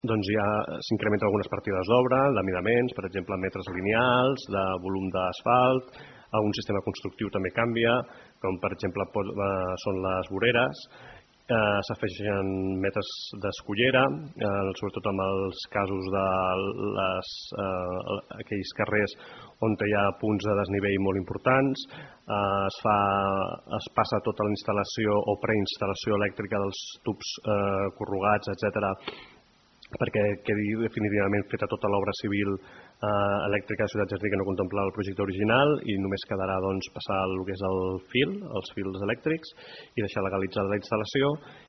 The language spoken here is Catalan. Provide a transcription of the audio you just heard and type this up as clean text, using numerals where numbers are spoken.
doncs ja s'incrementen algunes partides d'obra, d'amidaments, per exemple, metres lineals, de volum d'asfalt, algun sistema constructiu també canvia, com per exemple són les voreres, s'afegeixen metres d'escullera, sobretot en els casos de aquells carrers on hi ha punts de desnivell molt importants, es passa tota la instal·lació o preinstal·lació elèctrica dels tubs corrugats, etc., perquè quedi definitivament feta tota l'obra civil elèctrica de Ciutat Jardí que no contemplava el projecte original i només quedarà passar el que és els fils elèctrics i deixar legalitzada la instal·lació.